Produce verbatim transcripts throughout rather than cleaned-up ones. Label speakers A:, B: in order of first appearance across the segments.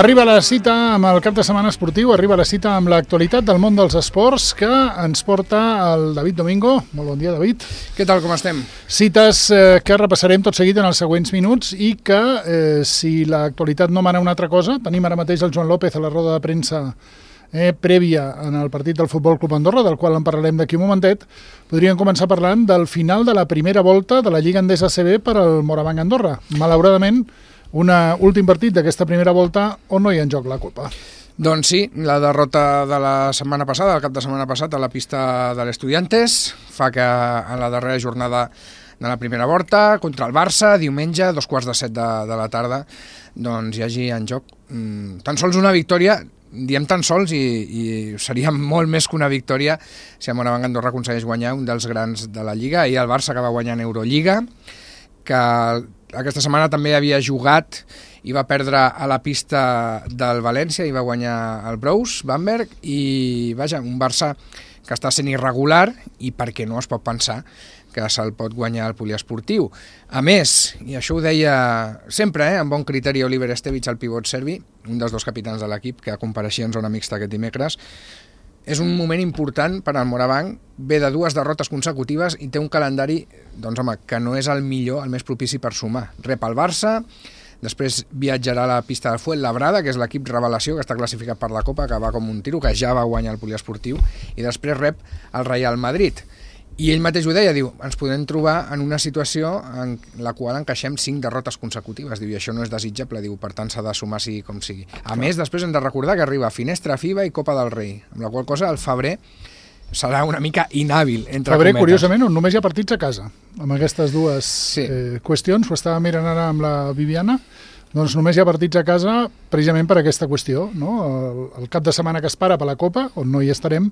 A: Arriba la cita amb el cap de setmana esportiu, arriba la cita amb l'actualitat del món dels esports que ens porta el David Domingo. Molt bon dia, David.
B: Què tal, com estem?
A: Cites eh, que repassarem tot seguit en els següents minuts i que, eh, si l'actualitat no mana una altra cosa, tenim ara mateix el Joan López a la roda de premsa eh, prèvia en el partit del Futbol Club Andorra, del qual en parlarem d'aquí un momentet. Podríem començar parlant del final de la primera volta de la Lliga Endesa A C B per al Morabanc Andorra. Malauradament, un últim partit d'aquesta primera volta on no hi ha en joc la Copa.
B: Doncs sí, la derrota de la setmana passada, el cap de setmana passat, a la pista de l'Estudiantes, fa que en la darrera jornada de la primera volta, contra el Barça, diumenge, dos quarts de set de, de la tarda, doncs hi hagi en joc mmm, tan sols una victòria, diem tan sols, i, i seria molt més que una victòria si el Morabanc Andorra aconsegueix guanyar un dels grans de la Lliga, i el Barça que va guanyar en Eurolliga, que aquesta setmana també havia jugat i va perdre a la pista del València i va guanyar el Brous, Bamberg, i vaja, un Barça que està sent irregular i perquè no es pot pensar que se'l pot guanyar el poliesportiu. A més, i això ho deia sempre, eh, amb bon criteri Oliver Estevich, el pivot serbi, un dels dos capitans de l'equip que compareixia en zona mixta aquest dimecres, és un moment important per al Morabanc, ve de dues derrotes consecutives i té un calendari, doncs home, que no és el millor, el més propici per sumar. Rep el Barça, després viatjarà a la pista del Fuenlabrada, que és l'equip revelació que està classificat per la Copa, que va com un tiro, que ja va guanyar el poliesportiu, i després rep el Real Madrid. I ell mateix ho deia, diu, ens podem trobar en una situació en la qual encaixem cinc derrotes consecutives, diu, i això no és desitjable, diu, per tant s'ha de sumar sigui com sigui. A més, després hem de recordar que arriba Finestra FIBA i Copa del Rei, amb la qual cosa el febrer serà una mica inhàbil, entre
A: febrer,
B: cometes.
A: Curiosament, on només hi ha partits a casa, amb aquestes dues
B: sí.
A: eh, qüestions, ho estava mirant ara amb la Viviana, doncs només hi ha partits a casa precisament per aquesta qüestió, no? El, el cap de setmana que es para per la Copa, on no hi estarem,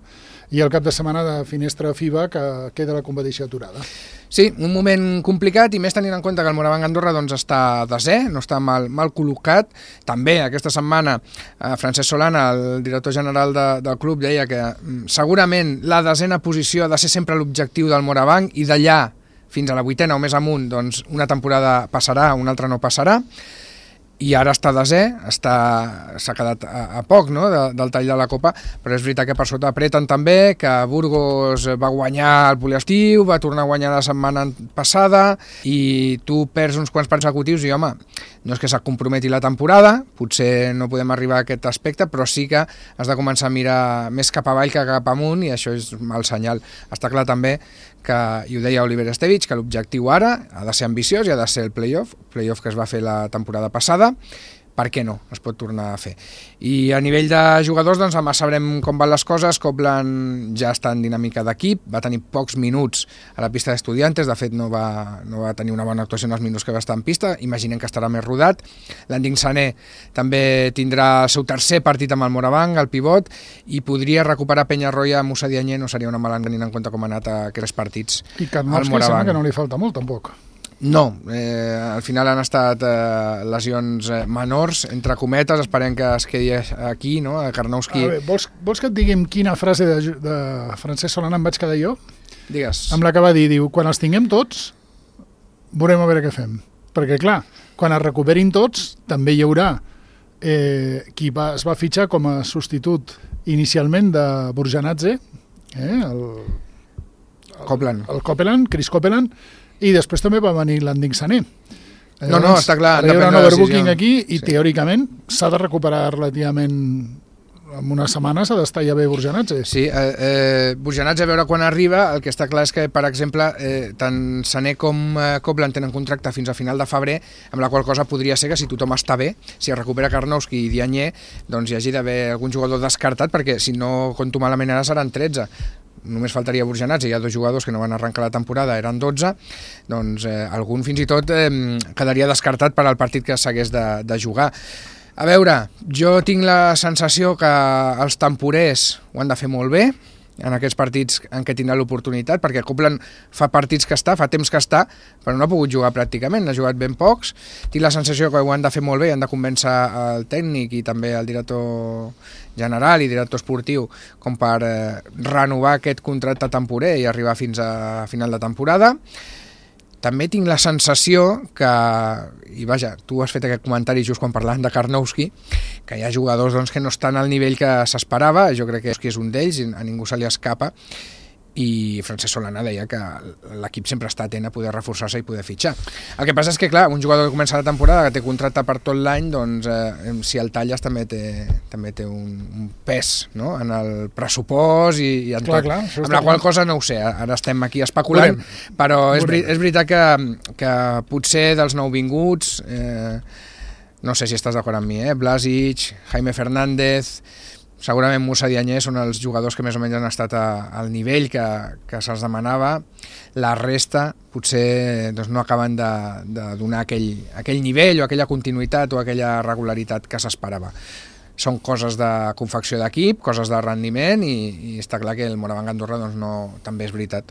A: i el cap de setmana de Finestra FIBA que queda la competició aturada.
B: Sí, un moment complicat, i més tenint en compte que el Morabanc Andorra doncs, està desè, no està mal, mal col·locat. També aquesta setmana eh, Francesc Solana, el director general de, del club, deia que mm, segurament la desena posició ha de ser sempre l'objectiu del Morabanc, i d'allà fins a la vuitena o més amunt, doncs, una temporada passarà, una altra no passarà. I ara està desè, s'ha quedat a, a poc, no?, de, del tall de la Copa, però és veritat que per sota apreten també, que Burgos va guanyar el poliestiu, va tornar a guanyar la setmana passada, i tu perds uns quants consecutius i, home, no és que se't comprometi la temporada, potser no podem arribar a aquest aspecte, però sí que has de començar a mirar més cap avall que cap amunt, i això és mal senyal. Està clar també que, i ho deia Oliver Estevich, que l'objectiu ara ha de ser ambiciós i ha de ser el play-off, play-off que es va fer la temporada passada. Per què no? Es pot tornar a fer. I a nivell de jugadors, doncs demà sabrem com van les coses. Copeland ja està en dinàmica d'equip, va tenir pocs minuts a la pista d'Estudiantes, de fet no va, no va tenir una bona actuació en els minuts que va estar en pista, imaginem que estarà més rodat. L'Anding Sané també tindrà el seu tercer partit amb el Morabanc, el pivot, i podria recuperar Peñarroya. Musa Diagne no seria una mala tenint en compte com ha anat aquests partits.
A: I Karnowski sembla que no li falta molt, tampoc.
B: No, eh, al final han estat eh, lesions eh, menors, entre cometes, esperem que es quedi aquí, no?, a Karnowski.
A: A veure, vols, vols que et diguem quina frase de, de Francesc Solana em vaig quedar jo?
B: Digues.
A: Amb la que va dir, diu, quan els tinguem tots, veurem a veure què fem. Perquè, clar, quan es recuperin tots, també hi haurà eh, qui va, es va fitxar com a substitut inicialment de Burjanadze, eh, el, el,
B: Copeland.
A: el Copeland, Chris Copeland, i després també va venir l'Anding Sané.
B: Llavors, no, no, està clar.
A: Ara hi haurà un overbooking aquí i
B: sí. Teòricament
A: s'ha de recuperar relativament en una setmana, s'ha d'estar ja bé Burjanadze.
B: Sí, eh, eh, Burjanadze, a veure quan arriba. El que està clar és que, per exemple, eh, tant Sané com eh, Copeland tenen contracte fins a final de febrer, amb la qual cosa podria ser que si tothom està bé, si es recupera Karnowski i Diagne, doncs hi hagi d'haver algun jugador descartat, perquè si no compto malament ara seran tretze. Només faltaria Burjanadze, hi ha dos jugadors que no van arrencar la temporada, eren dotze, doncs eh, algun fins i tot eh, quedaria descartat per al partit que s'hagués de, de jugar. A veure, jo tinc la sensació que els temporers ho han de fer molt bé, en aquests partits en què tindrà l'oportunitat, perquè Copeland fa partits que està, fa temps que està, però no ha pogut jugar pràcticament, n'ha jugat ben pocs. Tinc la sensació que ho han de fer molt bé, han de convèncer el tècnic i també el director general i director esportiu com per eh, renovar aquest contracte temporer i arribar fins a final de temporada. també tinc la sensació que, i vaja, tu has fet aquest comentari just quan parlàvem de Karnowski, que hi ha jugadors doncs, que no estan al nivell que s'esperava, jo crec que és un d'ells, a ningú se li escapa, i Francesc Solana deia que l'equip sempre està atent a poder reforçar-se i poder fitxar. El que passa és que, clar, un jugador que comença la temporada, que té contracte per tot l'any, doncs eh, si el talles també té, també té un, un pes, no?, en el pressupost i, i en
A: clar,
B: tot.
A: clar,
B: amb la qual cosa no ho sé, ara estem aquí especulant, Volem. però és, Volem. és veritat que, que potser dels nouvinguts, eh, no sé si estàs d'acord amb mi, eh? Blasic, Jaime Fernández, segurament Musa Diagne són els jugadors que més o menys han estat a, al nivell que, que se'ls demanava. La resta potser doncs, no acaben de, de donar aquell, aquell nivell o aquella continuïtat o aquella regularitat que s'esperava. Són coses de confecció d'equip, coses de rendiment i, i està clar que el Moraván Andorra doncs, no, també és veritat,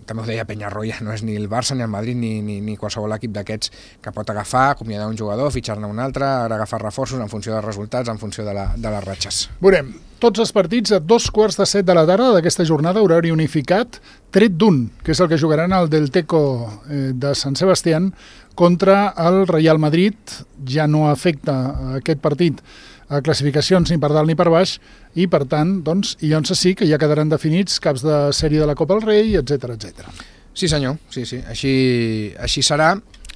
B: també ho deia Peñarroya, no és ni el Barça ni el Madrid ni, ni, ni qualsevol equip d'aquests que pot agafar, acomiadar un jugador, fitxar-ne un altre, ara agafar reforços en funció dels resultats, en funció de, la, de les ratxes.
A: Veurem, tots els partits a dos quarts de set de la tarda d'aquesta jornada, horari unificat, tret d'un, que és el que jugaran el Delteco eh, de Sant Sebastián contra el Real Madrid. Ja no afecta aquest partit a classificacions ni per dalt ni per baix i, per tant, doncs, i llavors sí que ja quedaran definits caps de sèrie de la Copa del Rei, etcètera, etcètera.
B: Sí, senyor, sí, sí, així, així serà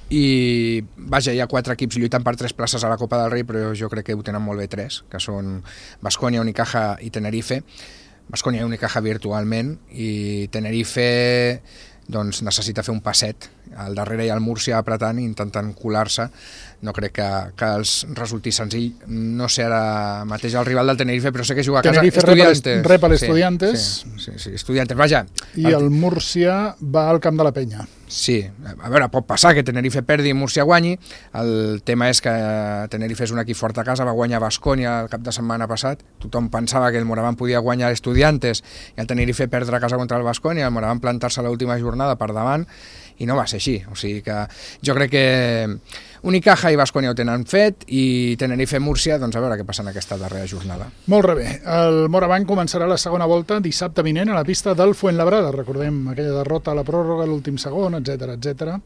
B: i, vaja, hi ha quatre equips lluitant per tres places a la Copa del Rei, però jo crec que ho tenen molt bé tres, que són Baskonia, Unicaja i Tenerife. Baskonia i Unicaja virtualment i Tenerife doncs necessita fer un passet al darrere i al Múrcia apretant i intentant colar-se. No crec que, que els resulti senzill. No sé ara mateix el rival del Tenerife, però sé que juga a casa.
A: Tenerife Estudiantes. rep a l'Estudiantes.
B: Sí, sí, sí, sí, Estudiantes, vaja.
A: I el Múrcia va al camp de la Penya.
B: Sí, a veure, pot passar que Tenerife perdi i Múrcia guanyi. El tema és que Tenerife és un equip fort a casa, va guanyar Baskonia el cap de setmana passat. Tothom pensava que el Moraván podia guanyar l'Estudiantes i el Tenerife perdre a casa contra el Baskonia, el Moraván plantar-se a l'última jornada per davant i no va ser així. O sigui que jo crec que Unicaja i Baskonia ho tenen fet i Tenerife i Múrcia, doncs a veure què passa en aquesta darrera jornada.
A: Molt bé. El Moraván començarà la segona volta dissabte vinent a la pista del Fuenlabrada. Recordem aquella derrota a la pròrroga, l'últim segon, etcètera, etcètera.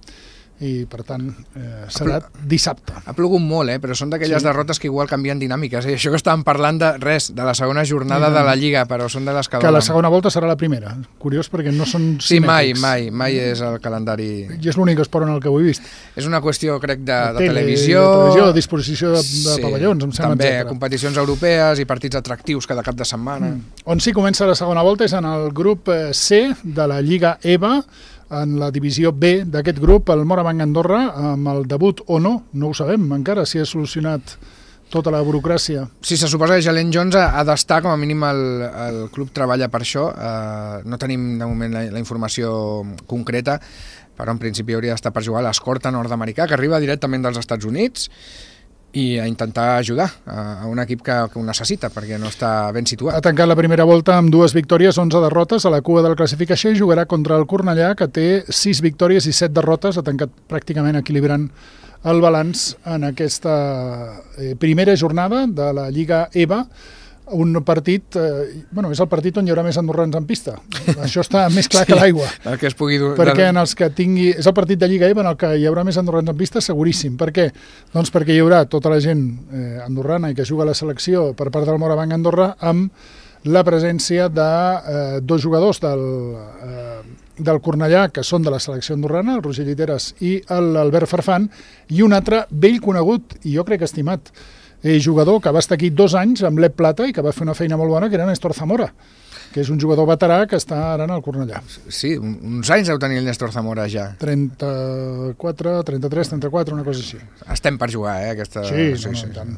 A: I, per tant, eh, serà dissabte.
B: Ha plogut molt, eh? Però són d'aquelles sí. derrotes que igual canvien dinàmiques. Eh? Això que estàvem parlant de res, de la segona jornada sí, de la Lliga, però són de les que...
A: Que la segona volta serà la primera. Curiós, perquè no són
B: sí,
A: simètrics.
B: Sí, mai, mai, mai és el calendari...
A: I és l'únic esport en el que ho he vist.
B: És una qüestió, crec, de, de,
A: de
B: televisió...
A: De televisió, de disposició de, de sí, pavellons, em sembla,
B: també,
A: etcètera.
B: Competicions europees i partits atractius cada cap de setmana.
A: Mm. On sí comença la segona volta és en el grup C de la Lliga E V A, en la divisió B d'aquest grup, el Moraván Andorra, amb el debut o no, no ho sabem encara, si ha solucionat tota la burocràcia.
B: Sí, se suposa que Jalen Jones ha, ha d'estar, com a mínim el, el club treballa per això, uh, no tenim de moment la, la informació concreta, però en principi hauria d'estar per jugar a l'escorta nord-americà, que arriba directament dels Estats Units, i a intentar ajudar a un equip que, que ho necessita, perquè no està ben situat.
A: Ha tancat la primera volta amb dues victòries, onze derrotes a la cua de la classificació i jugarà contra el Cornellà, que té sis victòries i set derrotes, ha tancat pràcticament equilibrant el balanç en aquesta eh, primera jornada de la Lliga E V A, un partit, eh, bueno, és el partit on hi haurà més andorrans en pista. Això està més clar sí, que l'aigua.
B: El que es pugui dur...
A: Perquè en els que tingui... És el partit de Lliga E V A en el que hi haurà més andorrans en pista, seguríssim. Per què? Doncs perquè hi haurà tota la gent eh, andorrana i que juga a la selecció per part del Moraván Andorra amb la presència de eh, dos jugadors del, eh, del Cornellà, que són de la selecció andorrana, el Roger Lliteres i l'Albert Farfán, i un altre vell conegut, i jo crec estimat, Eh, jugador que va estar aquí dos anys amb l'E P Plata i que va fer una feina molt bona, que era Néstor Zamora, que és un jugador veterà que està ara en el Cornellà.
B: Sí, uns anys deu tenir el Néstor Zamora ja.
A: trenta-quatre, trenta-tres, trenta-quatre, una cosa així.
B: Estem per jugar, eh? Aquesta...
A: Sí, sí, no, sí, tant.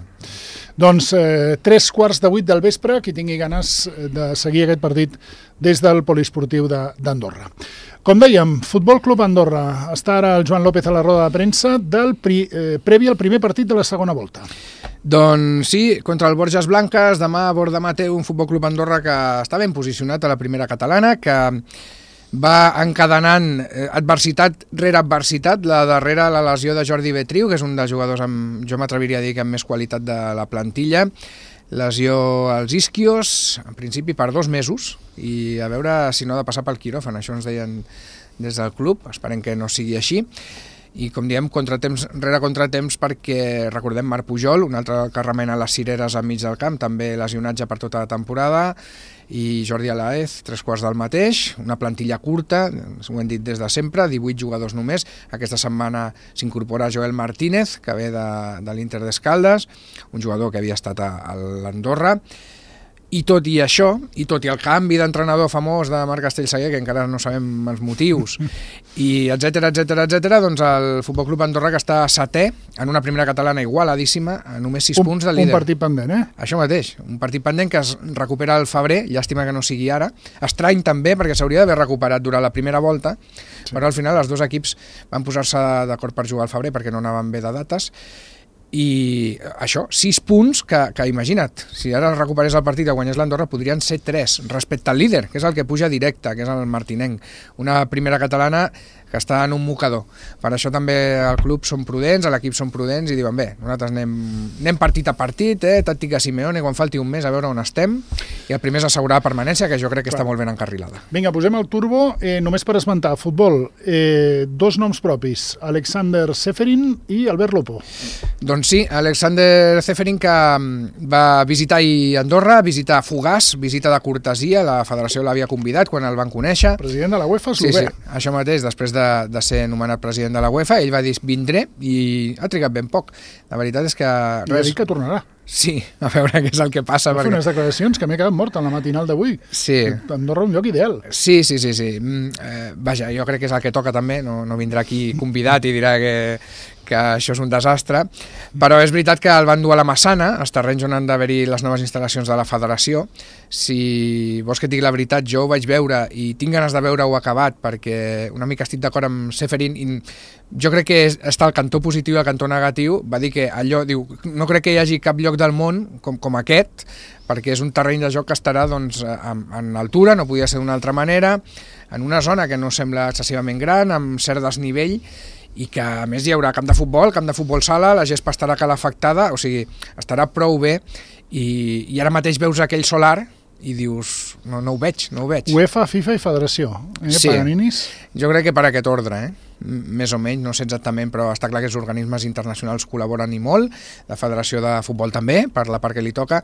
A: Doncs eh, tres quarts de vuit del vespre, qui tingui ganes de seguir aquest partit des del poliesportiu d'Andorra. Com dèiem, Futbol Club Andorra. Està ara el Joan López a la roda de premsa del pri, eh, previ al primer partit de la segona volta.
B: Doncs sí, contra el Borges Blanques, demà Bordemà té un Futbol Club Andorra que està ben posicionat a la primera catalana, que va encadenant adversitat rere adversitat, la darrera la lesió de Jordi Betriu, que és un dels jugadors amb, jo m'atreviria a dir que amb més qualitat de la plantilla, lesió als isquios, en principi per dos mesos, i a veure si no ha de passar pel quiròfan, això ens deien des del club, esperem que no sigui així. I com diem, contratemps rere contratemps, perquè recordem Marc Pujol, un altre que remena les cireres enmig del camp, també lesionatge per tota la temporada, i Jordi Alaez, tres quarts del mateix, una plantilla curta, ho hem dit des de sempre, divuit jugadors només. Aquesta setmana s'incorpora Joel Martínez, que ve de, de l'Inter d'Escaldes, un jugador que havia estat a, a l'Andorra. I tot i això, i tot i el canvi d'entrenador famós de Marc Castellsaguer, que encara no sabem els motius, i etcètera, etcètera, etcètera, doncs el Futbol Club Andorra, que està setè en una primera catalana igualadíssima, a només sis
A: un,
B: punts del líder.
A: Un partit pendent, eh?
B: Això mateix, un partit pendent que es recupera al febrer, llàstima que no sigui ara. Estrany també, perquè s'hauria d'haver recuperat durant la primera volta, sí. Però al final els dos equips van posar-se d'acord per jugar al febrer perquè no anaven bé de dates. I això, sis punts que, que imagina't, si ara recuperés el partit i guanyés l'Andorra, podrien ser tres respecte al líder, que és el que puja directe, que és el martinenc. Una primera catalana que està en un mocador. Per això també al club són prudents, a l'equip són prudents i diuen, bé, nosaltres anem, anem partit a partit, eh, tàctica Simeone, quan falti un mes a veure on estem, i el primer és assegurar la permanència, que jo crec que Clar. Està molt ben encarrilada.
A: Vinga, posem el turbo, eh, només per esmentar, futbol, eh, dos noms propis, Alexander Seferin i Albert Lopo.
B: Doncs sí, Alexander Seferin, que va visitar ahir Andorra, visitar Fogàs, visita de cortesia, la federació l'havia convidat quan el van conèixer.
A: President de la UEFA,
B: sí, sí, això mateix, després de De, de ser nomenat president de la UEFA, ell va dir vindré i ha trigat ben poc. La veritat és que...
A: I ha dit que tornarà.
B: Sí, a veure què és el que passa.
A: Va fer perquè... unes declaracions que m'he quedat mort en la matinal d'avui.
B: Sí.
A: Andorra un lloc ideal.
B: Sí, sí, sí. sí. Mm, eh, vaja, jo crec que és el que toca també, no, no vindrà aquí convidat i dirà que, que això és un desastre, però és veritat que el van dur a la Massana, als terrenys on han d'haver-hi les noves instal·lacions de la federació. Si vols que et digui la veritat, jo ho vaig veure i tinc ganes de veure-ho acabat, perquè una mica estic d'acord amb Seferin i jo crec que està el cantó positiu i el cantó negatiu. Va dir que allò, diu, no crec que hi hagi cap lloc del món com, com aquest, perquè és un terreny de joc que estarà doncs, en, en altura, no podia ser d'una altra manera, en una zona que no sembla excessivament gran, amb cert desnivell, i que a més hi haurà camp de futbol, camp de futbol sala, la gespa estarà calefactada, o sigui, estarà prou bé, i, i ara mateix veus aquell solar i dius, no, no ho veig, no ho veig.
A: UEFA, FIFA i Federació, eh,
B: sí.
A: Paganinis?
B: Jo crec que per aquest ordre, eh? Més o menys, no sé exactament, però està clar que els organismes internacionals col·laboren i molt, la Federació de Futbol també, per la part que li toca,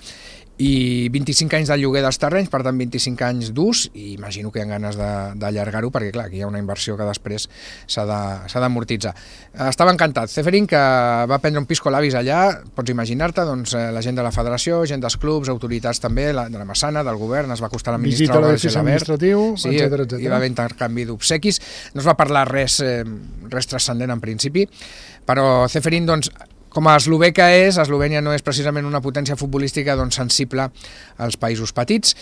B: i vint-i-cinc anys de lloguer dels terrenys, per tant vint-i-cinc anys d'ús, i imagino que hi ha ganes d'allargar-ho, perquè clar, aquí hi ha una inversió que després s'ha d'amortitzar. Estava encantat. Seferin, que va prendre un pisco labis allà, pots imaginar-te, doncs, la gent de la Federació, gent dels clubs, autoritats també, la, de la Massana, del govern, es va acostar a la ministra
A: Visita a l'edifici administratiu,
B: sí, etcètera, etcètera. Hi va haver intercanvi d'obsequis, no es va parlar res, eh, res transcendent en principi, però Seferin, doncs, com a eslovè que és, Eslovènia no és precisament una potència futbolística doncs, sensible als països petits.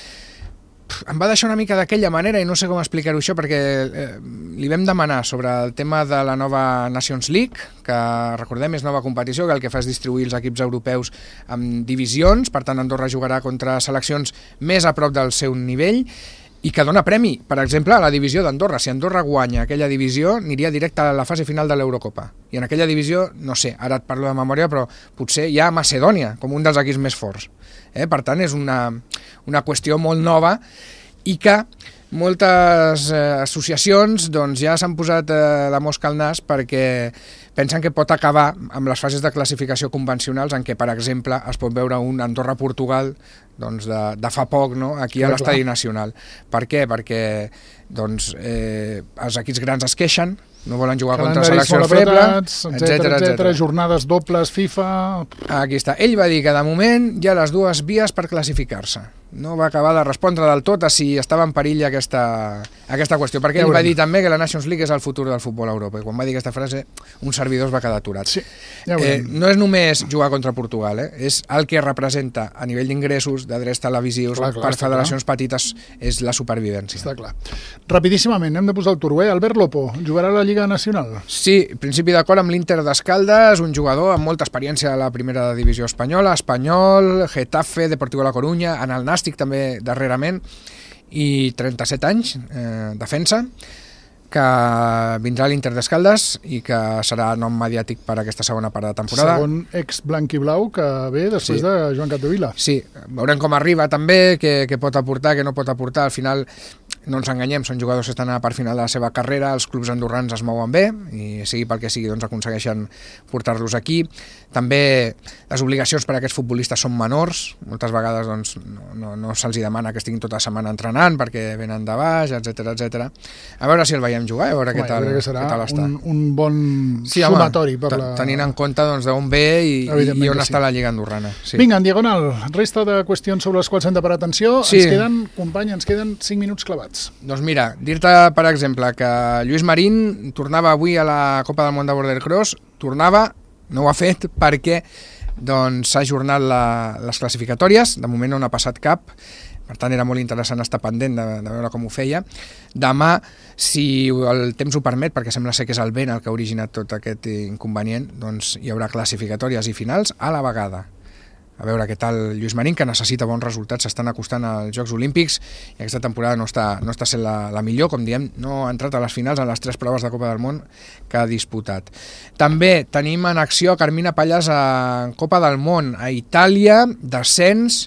B: Em va deixar una mica d'aquella manera i no sé com explicar-ho això, perquè eh, li vam demanar sobre el tema de la nova Nations League, que recordem és nova competició, que el que fa és distribuir els equips europeus en divisions, per tant Andorra jugarà contra seleccions més a prop del seu nivell, i que dona premi, per exemple, a la divisió d'Andorra. Si Andorra guanya aquella divisió, aniria directe a la fase final de l'Eurocopa. I en aquella divisió, no sé, ara et parlo de memòria, però potser hi ha Macedònia, com un dels equips més forts. Eh? Per tant, és una, una qüestió molt nova i que moltes eh, associacions doncs, ja s'han posat eh, la mosca al nas perquè pensen que pot acabar amb les fases de classificació convencionals en què, per exemple, es pot veure un Andorra-Portugal doncs, de, de fa poc, no? Aquí a l'Estadi Nacional. Per què? Perquè doncs, eh, els equips grans es queixen, no volen jugar contra seleccions febles, etcètera, etcètera.
A: Jornades dobles, FIFA...
B: Aquí està. Ell va dir que de moment hi ha les dues vies per classificar-se. No va acabar de respondre del tot a si estava en perill aquesta, aquesta qüestió, perquè ell va dir també que la Nations League és el futur del futbol a Europa, i quan va dir aquesta frase un servidor es va quedar aturat.
A: Sí, ja
B: eh, no és només jugar contra Portugal, eh? És el que representa a nivell d'ingressos, de drets televisius, clar, clar, per federacions clar. petites, és la supervivència.
A: Està clar. Rapidíssimament, hem de posar el turbo, eh? Albert Lopo, jugarà a la Lliga Nacional?
B: Sí, principi d'acord amb l'Inter d'Escaldes, un jugador amb molta experiència a la primera divisió espanyola, Espanyol, Getafe, Deportivo La Coruña, en el Nàstic també darrerament, i trenta-set anys, eh, defensa, que vindrà a l'Inter d'Escaldes i que serà nom mediàtic per aquesta segona part de temporada.
A: Segon ex-blanc i blau que ve després sí. de Joan Capdevila.
B: Sí, veurem com arriba també, què, què pot aportar, què no pot aportar. Al final no ens enganyem, són jugadors que estan a la part final de la seva carrera, els clubs andorrans es mouen bé, i sigui pel que sigui, doncs aconsegueixen portar-los aquí. També les obligacions per a aquests futbolistes són menors, moltes vegades doncs, no, no, no se'ls demana que estiguin tota la setmana entrenant perquè venen de baix, etcètera, etcètera. A veure si el veiem jugar, a veure
A: Home,
B: què tal,
A: que serà
B: què tal està.
A: Un, un bon
B: sí,
A: sumatori.
B: Home,
A: per la...
B: tenint en compte doncs, d'on ve i, i on està sí. la Lliga Andorrana. Sí.
A: Vinga, en diagonal, resta de qüestions sobre les quals hem de parar atenció. Sí. Ens queden, company, ens queden cinc minuts clavats. Doncs
B: mira, dir-te, per exemple, que Lluís Marín tornava avui a la Copa del Món de Border Cross, tornava, no ho ha fet perquè doncs, s'ha ajornat la, les classificatòries, de moment no n'ha passat cap, per tant era molt interessant estar pendent de, de veure com ho feia. Demà, si el temps ho permet, perquè sembla ser que és el vent el que ha originat tot aquest inconvenient, doncs hi haurà classificatòries i finals a la vegada. A veure què tal Lluís Marín, que necessita bons resultats, s'estan acostant als Jocs Olímpics i aquesta temporada no està, no està sent la, la millor, com diem, no ha entrat a les finals en les tres proves de Copa del Món que ha disputat. També tenim en acció Carmina Pallas a Copa del Món a Itàlia, descens.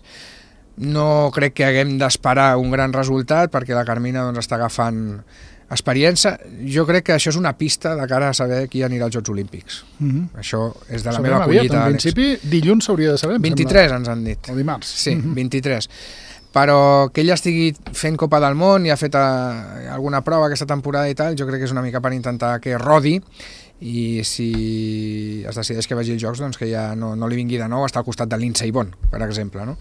B: No crec que haguem d'esperar un gran resultat perquè la Carmina doncs, està agafant experiència. Jo crec que això és una pista de cara a saber qui anirà als Jocs Olímpics. Mm-hmm. Això és de la
A: Sabem
B: meva collita.
A: En principi, dilluns s'hauria de saber.
B: vint-i-tres ens han dit.
A: O dimarts.
B: Sí, mm-hmm. vint-i-tres. Però que ella estigui fent Copa del Món i ha fet a, alguna prova aquesta temporada i tal, jo crec que és una mica per intentar que rodi i si es decideix que vagi als Jocs, doncs que ja no, no li vingui de nou estar al costat de Lindsey Vonn, per exemple, no?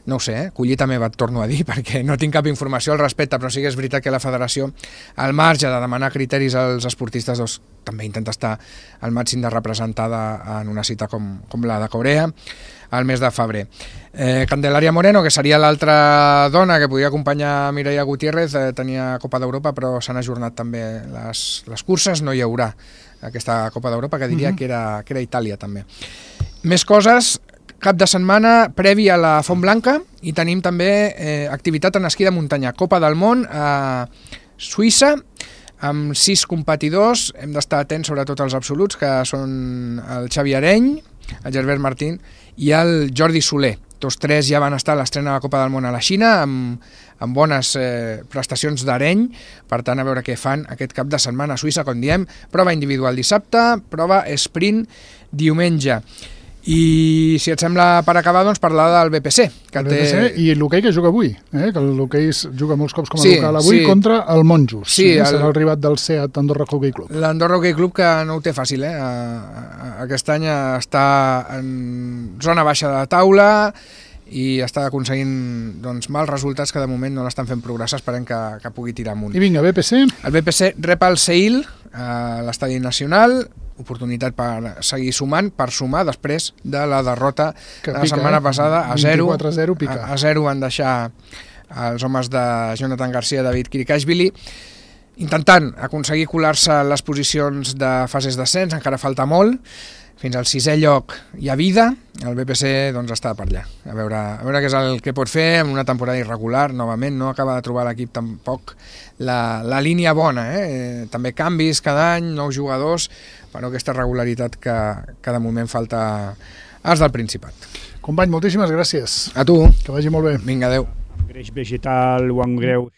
B: No ho sé, eh? Collita meva et torno a dir perquè no tinc cap informació al respecte, però sí que és veritat que la federació, al marge de demanar criteris als esportistes, doncs, també intenta estar al màxim de representada en una cita com, com la de Corea al mes de febrer. Eh, Candelaria Moreno, que seria l'altra dona que podia acompanyar Mireia Gutiérrez, eh, tenia Copa d'Europa, però s'han ajornat també les, les curses, no hi haurà aquesta Copa d'Europa, que diria mm-hmm. que, era, que era Itàlia també. Més coses. Cap de setmana previ a la Font Blanca i tenim també eh, activitat en esquí de muntanya. Copa del Món a Suïssa amb sis competidors. Hem d'estar atents sobretot als absoluts, que són el Xavi Areny, el Gerbert Martín i el Jordi Soler. Tots tres ja van estar a l'estrena de la Copa del Món a la Xina amb, amb bones eh, prestacions d'Areny. Per tant, a veure què fan aquest cap de setmana a Suïssa, com diem. Prova individual dissabte, prova sprint diumenge. I si et sembla per acabar, doncs parlar del B P C. Que
A: el B P C té... i l'hoquei que juga avui, eh? Que l'hoquei juga molts cops com a
B: sí,
A: local avui sí. contra el Monjos.
B: Sí,
A: eh?
B: el...
A: Serà el rival del SEAT Andorra Hockey Club.
B: L'Andorra Hockey Club que no ho té fàcil, eh? Aquest any està en zona baixa de taula i està aconseguint doncs, mals resultats que de moment no l'estan fent progressar, esperem que, que pugui tirar amunt.
A: I vinga, B P C.
B: El B P C rep el Seil a l'Estadi Nacional, oportunitat per seguir sumant, per sumar després de la derrota que de la pica, setmana eh? passada a zero.
A: vint-i-quatre a zero pica.
B: A, a zero van deixar els homes de Jonathan Garcia i David Kirikashvili, intentant aconseguir colar-se a les posicions de fases d'ascens, encara falta molt, fins al sisè lloc hi ha vida, el B P C doncs, està per allà, a veure, a veure què és el que pot fer en una temporada irregular, novament, no acaba de trobar l'equip tampoc la, la línia bona, eh? També canvis cada any, nous jugadors, però aquesta regularitat que, que de moment falta als del Principat.
A: Company, moltíssimes gràcies.
B: A tu.
A: Que vagi molt bé.
B: Vinga, adeu.
C: Greix vegetal o en greu